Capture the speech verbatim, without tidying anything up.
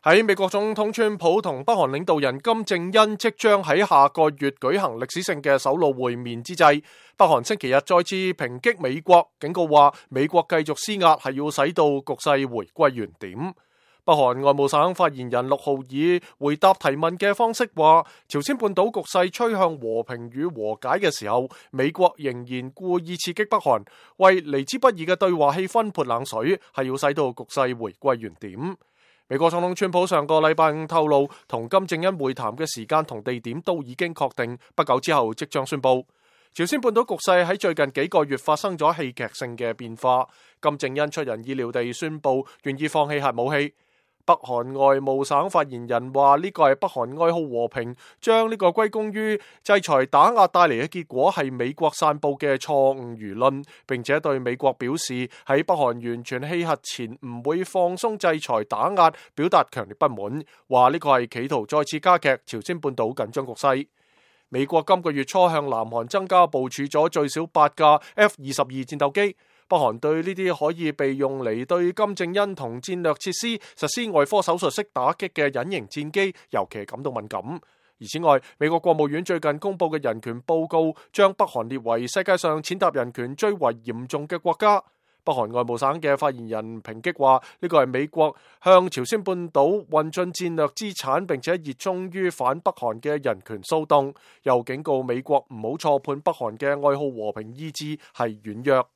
喺美國總統川普同北韓領導人金正恩即將喺下個月舉行歷史性嘅首腦會面之際，北韓星期日再次抨擊美國，警告話美國繼續施壓係要使到局勢回歸原點。北韓外務省發言人陸浩以回答提問嘅方式話，朝鮮半島局勢趨向和平與和解嘅時候，美國仍然故意刺激北韓，為嚟之不易嘅對話氣氛潑冷水，係要使到局勢回歸原點。美國總統川普上個禮拜五透露，同金正恩會談嘅時間同地點都已經確定，不久之後即將宣布。朝鮮半島局勢喺最近幾個月發生咗戲劇性嘅變化，金正恩出人意料地宣布願意放棄核武器。北韓外務省發言人話呢個係北韓愛好和平，將呢個歸功於制裁打壓帶嚟嘅結果係美國散布嘅錯誤輿論，並且對美國表示喺北韓完全棄核前唔會放鬆制裁打壓，表達強烈不滿，話呢個係企圖再次加劇朝鮮半島緊張局勢。美國今個月初向南韓增加部署咗最少八架 F 二十二戰鬥機。北韓對呢啲可以被用嚟對金正恩同戰略設施實施外科手術式打擊嘅隱形戰機尤其感到敏感。而此外，美國國務院最近公布嘅人權報告將北韓列為世界上踐踏人權最為嚴重嘅國家。北韓外務省嘅發言人抨擊話，呢個係美國向朝鮮半島運進戰略資產並且熱衷於反北韓嘅人權騷動，又警告美國唔好錯判北韓嘅愛好和平意志係軟弱。